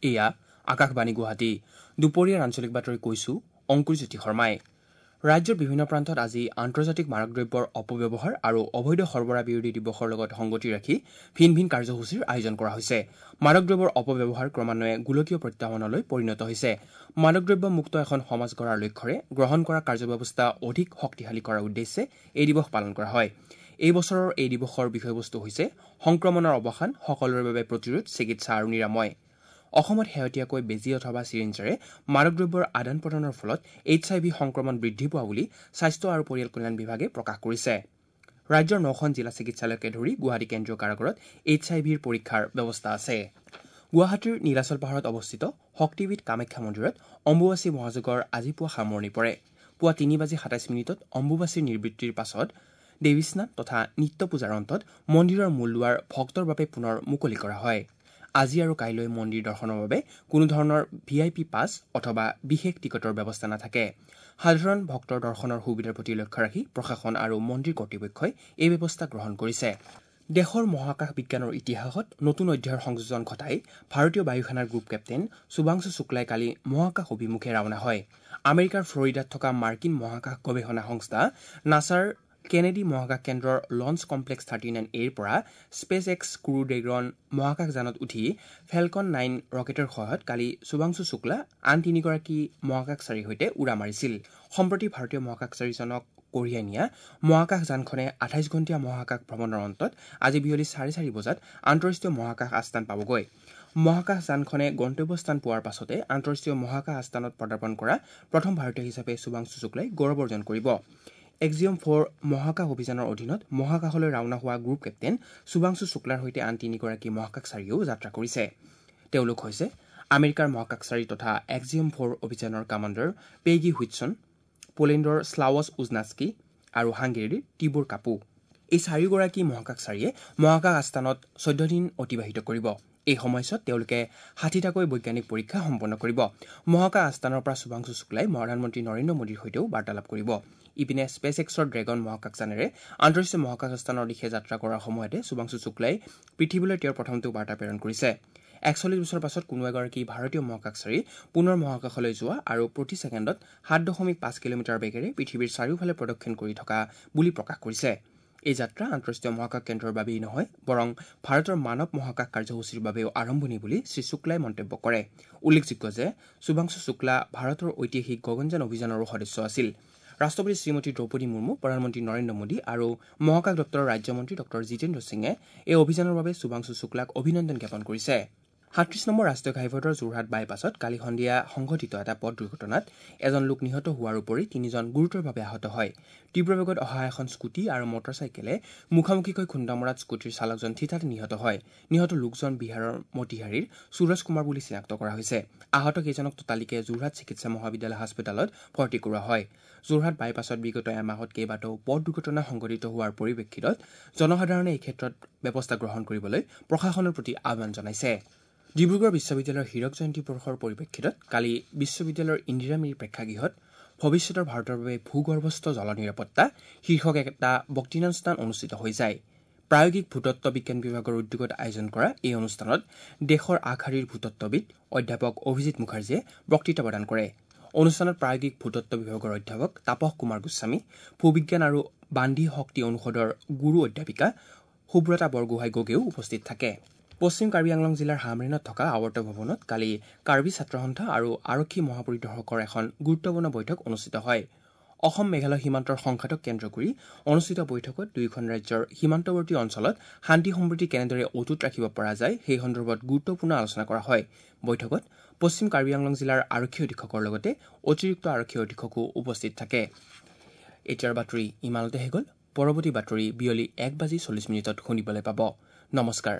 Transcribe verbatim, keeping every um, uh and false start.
এয়া আকাশবাণী গুৱাহাটী। দুপৰীয়াৰ আঞ্চলিক বাতৰি কৈছো অংকুৰজ্যোতি শৰ্মাই। ৰাজ্যৰ বিভিন্ন প্ৰান্তত আজি আন্তৰ্জাতিক মাদক দ্ৰব্যৰ অপব্যৱহাৰ আৰু অবৈধ সৰবৰাহ বিৰোধী দিৱসৰ লগত সংগতি ৰাখি ভিন ভিন কাৰ্যসূচীৰ আয়োজন কৰা হৈছে। মাদক দ্ৰব্যৰ অপব্যৱহাৰ ক্ৰমান্বয়ে গোলকীয় প্ৰত্যাহ্বানলৈ পৰিণত হৈছে। মাদক দ্ৰব্য মুক্ত এখন সমাজ গঢ়াৰ লক্ষ্যৰে গ্ৰহণ কৰা কাৰ্যব্যৱস্থা অধিক শক্তিশালী কৰাৰ উদ্দেশ্যে এই দিৱস পালন কৰা হয়। এই বছৰৰ এই দিৱসৰ বিষয়বস্তু হৈছে সংক্ৰমণৰ অৱসান, সকলোৰে বাবে প্ৰতিৰোধ, চিকিৎসা আৰু নিৰাময়। অসমত শেহতীয়াকৈ বেজী অথবা চিৰিঞ্জেৰে মাদক দ্ৰব্যৰ আদান প্ৰদানৰ ফলত এইচ আই ভি সংক্ৰমণ বৃদ্ধি পোৱা বুলি স্বাস্থ্য আৰু পৰিয়াল কল্যাণ বিভাগে প্ৰকাশ কৰিছে। ৰাজ্যৰ নখন জিলা চিকিৎসালয়কে ধৰি গুৱাহাটী কেন্দ্ৰীয় কাৰাগাৰত এইচ আই ভিৰ পৰীক্ষাৰ ব্যৱস্থা আছে। গুৱাহাটীৰ নীলাচল পাহাৰত অৱস্থিত শক্তিপীঠ কামাখ্যা মন্দিৰত অম্বুবাচী মহাযোগৰ আজি পুৱা সামৰণি পৰে। পুৱা তিনি বাজি সাতাইছ মিনিটত অম্বুবাচীৰ নিবৃত্তিৰ পাছত দেৱী স্নান তথা নিত্য পূজাৰ অন্তত মন্দিৰৰ মূল দুৱাৰ ভক্তৰ বাবে পুনৰ মুকলি কৰা হয়। আজি আৰু কাইলৈ মন্দিৰ দৰ্শনৰ বাবে কোনো ধৰণৰ ভি আই পি পাছ অথবা বিশেষ টিকটৰ ব্যৱস্থা নাথাকে। সাধাৰণ ভক্তৰ দৰ্শনৰ সুবিধাৰ প্ৰতি লক্ষ্য ৰাখি প্ৰশাসন আৰু মন্দিৰ কৰ্তৃপক্ষই এই ব্যৱস্থা গ্ৰহণ কৰিছে। দেশৰ মহাকাশ বিজ্ঞানৰ ইতিহাসত নতুন অধ্যায়ৰ সংযোজন ঘটাই ভাৰতীয় বায়ুসেনাৰ গ্ৰুপ কেপ্টেইন শুভাংশু শুক্লাই কালি মহাকাশ অভিমুখে ৰাওনা হয়। আমেৰিকাৰ ফ্লৰিডাত থকা মাৰ্কিন মহাকাশ গৱেষণা সংস্থা নাছাৰ কেনেডি মহাকাশ কেন্দ্ৰৰ লঞ্চ কমপ্লেক্স থাৰ্টি নাইন এৰ পৰা স্পেচ এক্স ক্ৰু ড্ৰেগন মহাকাশযানত উঠি ফেলকন নাইন ৰকেটৰ সহায়ত কালি শুভাংশু শুক্লা আন তিনিগৰাকী মহাকাশচাৰীৰ সৈতে উৰা মাৰিছিল। সম্প্ৰতি ভাৰতীয় মহাকাশচাৰীজনক কঢ়িয়াই নিয়া মহাকাশযানখনে আঠাইছ ঘণ্টীয়া মহাকাশ ভ্ৰমণৰ অন্তত আজি বিয়লি চাৰে চাৰি বজাত আন্তঃৰাষ্ট্ৰীয় মহাকাশ আস্থান পাবগৈ। মহাকাশযানখনে গন্তব্যস্থান পোৱাৰ পাছতে আন্তঃৰাষ্ট্ৰীয় মহাকাশ আস্থানত পদাৰ্পণ কৰা প্ৰথম ভাৰতীয় হিচাপে শুভাংশু শুক্লাই গৌৰৱ অৰ্জন কৰিব। এক্সিঅম ফ'ৰ মহাকাশ অভিযানৰ অধীনত মহাকাশলৈ ৰাওনা হোৱা গ্ৰুপ কেপ্টেইন শুভাংশু শুক্লাৰ সৈতে আন তিনিগৰাকী মহাকাশচাৰীয়েও যাত্ৰা কৰিছে। তেওঁলোক হৈছে আমেৰিকাৰ মহাকাশচাৰী তথা এক্সিঅম ফ'ৰ অভিযানৰ কামাণ্ডাৰ পেগী হুইটছন, পোলেণ্ডৰ শ্লাৱছ উজনাস্কি আৰু হাংগেৰীৰ টিবোৰ কাপু। এই চাৰিওগৰাকী মহাকাশচাৰীয়ে মহাকাশ আস্থানত চৈধ্য দিন অতিবাহিত কৰিব। এই সময়ছোৱাত তেওঁলোকে ষাঠিটাকৈ বৈজ্ঞানিক পৰীক্ষা সম্পন্ন কৰিব। মহাকাশ আস্থানৰ পৰা শুভাংশু শুক্লাই প্ৰধানমন্ত্ৰী নৰেন্দ্ৰ মোদীৰ সৈতেও বাৰ্তালাপ কৰিব। ইপিনে স্পেচ এক্সৰ ড্ৰেগন মহাকাশযানেৰে আন্তঃৰাষ্ট্ৰীয় মহাকাশ আস্থানৰ দিশে যাত্ৰা কৰাৰ সময়তে শুভাংশু শুক্লাই পৃথিৱীলৈ তেওঁৰ প্ৰথমটো বাৰ্তা প্ৰেৰণ কৰিছে। একচল্লিছ বছৰৰ পাছত কোনো এগৰাকী ভাৰতীয় মহাকাশচাৰী পুনৰ মহাকাশলৈ যোৱা আৰু প্ৰতি ছেকেণ্ডত সাত দশমিক পাঁচ কিলোমিটাৰ বেগেৰে পৃথিৱীৰ চাৰিওফালে প্ৰদক্ষিণ কৰি থকা বুলি প্ৰকাশ কৰিছে। এই যাত্ৰা আন্তঃৰাষ্ট্ৰীয় মহাকাশ কেন্দ্ৰৰ বাবেই নহয়, বৰং ভাৰতৰ মানৱ মহাকাশ কাৰ্যসূচীৰ বাবেও আৰম্ভণি বুলি শ্ৰী শুক্লাই মন্তব্য কৰে। উল্লেখযোগ্য যে শুভাংশু শুক্লা ভাৰতৰ ঐতিহাসিক গগনযান অভিযানৰো সদস্য আছিল। ৰাষ্ট্ৰপতি শ্ৰীমতী দ্ৰৌপদী মুৰ্মু, প্ৰধানমন্ত্ৰী নৰেন্দ্ৰ মোদী আৰু মহাকাশ দপ্তৰৰ ৰাজ্যমন্ত্ৰী ডক্টৰ জিতেন্দ্ৰ সিঙে এই অভিযানৰ বাবে শুভাংশু শুক্লাক অভিনন্দন জ্ঞাপন কৰিছে। সাতত্ৰিছ নম্বৰ ৰাষ্ট্ৰীয় ঘাইপথৰ যোৰহাট বাইপাছত কালি সন্ধিয়া সংঘটিত এটা পথ দুৰ্ঘটনাত এজন লোক নিহত হোৱাৰ উপৰি তিনিজন গুৰুতৰভাৱে আহত হয়। তীব্ৰ বেগত অহা এখন স্কুটি আৰু মটৰচাইকেলে মুখামুখিকৈ খুন্দা মৰাত স্কুটিৰ চালকজন থিতাতে নিহত হয়। নিহত লোকজন বিহাৰৰ মতিহাৰীৰ সুৰজ কুমাৰ বুলি চিনাক্ত কৰা হৈছে। আহত কেইজনক ততালিকে যোৰহাট চিকিৎসা মহাবিদ্যালয় হাস্পতালত ভৰ্তি কৰোৱা হয়। যোৰহাট বাইপাছত বিগত এমাহত কেইবাটাও পথ দুৰ্ঘটনা সংঘটিত হোৱাৰ পৰিপ্ৰেক্ষিতত জনসাধাৰণে এই ক্ষেত্ৰত ব্যৱস্থা গ্ৰহণ কৰিবলৈ প্ৰশাসনৰ প্ৰতি আহ্বান জনাইছে। ডিব্ৰুগড় বিশ্ববিদ্যালয়ৰ হীৰক জয়ন্তী বৰ্ষৰ পৰিপ্ৰেক্ষিতত কালি বিশ্ববিদ্যালয়ৰ ইন্দিৰা মিৰি প্ৰেক্ষাগৃহত ভৱিষ্যতৰ ভাৰতৰ বাবে ভূগৰ্ভস্থ জল নিৰাপত্তা শীৰ্ষক এটা বক্তৃতানুষ্ঠান অনুষ্ঠিত হৈ যায়। প্ৰায়োগিক ভূতত্ব বিজ্ঞান বিভাগৰ উদ্যোগত আয়োজন কৰা এই অনুষ্ঠানত দেশৰ আগশাৰীৰ ভূতত্ববিদ অধ্যাপক অভিজিৎ মুখাৰ্জীয়ে বক্তৃতা প্ৰদান কৰে। অনুষ্ঠানত প্ৰায়োগিক ভূতত্ব বিভাগৰ অধ্যাপক তাপস কুমাৰ গোস্বামী, ভূবিজ্ঞান আৰু বান্ধি শক্তি অনুষদৰ গুৰু অধ্যাপিকা সুব্ৰতা বৰগোহাঁই গগৈও উপস্থিত থাকে। পশ্চিম কাৰ্বি আংলং জিলাৰ হামৰেণত থকা আৱৰ্ত ভৱনত কালি কাৰ্বি ছাত্ৰ সন্থা আৰু আৰক্ষী মহাপৰিদৰ্শকৰ এখন গুৰুত্বপূৰ্ণ বৈঠক অনুষ্ঠিত হয়। অসম মেঘালয় সীমান্তৰ সংঘাতক কেন্দ্ৰ কৰি অনুষ্ঠিত বৈঠকত দুয়োখন ৰাজ্যৰ সীমান্তৱৰ্তী অঞ্চলত শান্তি সম্প্ৰীতি কেনেদৰে অটুট ৰাখিব পৰা যায় সেই সন্দৰ্ভত গুৰুত্বপূৰ্ণ আলোচনা কৰা হয়। বৈঠকত পশ্চিম কাৰ্বি আংলং জিলাৰ আৰক্ষী অধীক্ষকৰ লগতে অতিৰিক্ত আৰক্ষী অধীক্ষকো উপস্থিত থাকে। এতিয়াৰ বাতৰি ইমানতে শেষ হ'ল। পৰৱৰ্তী বাতৰি বিয়লি এক বাজি চল্লিছ মিনিটত শুনিবলৈ পাব। নমস্কাৰ।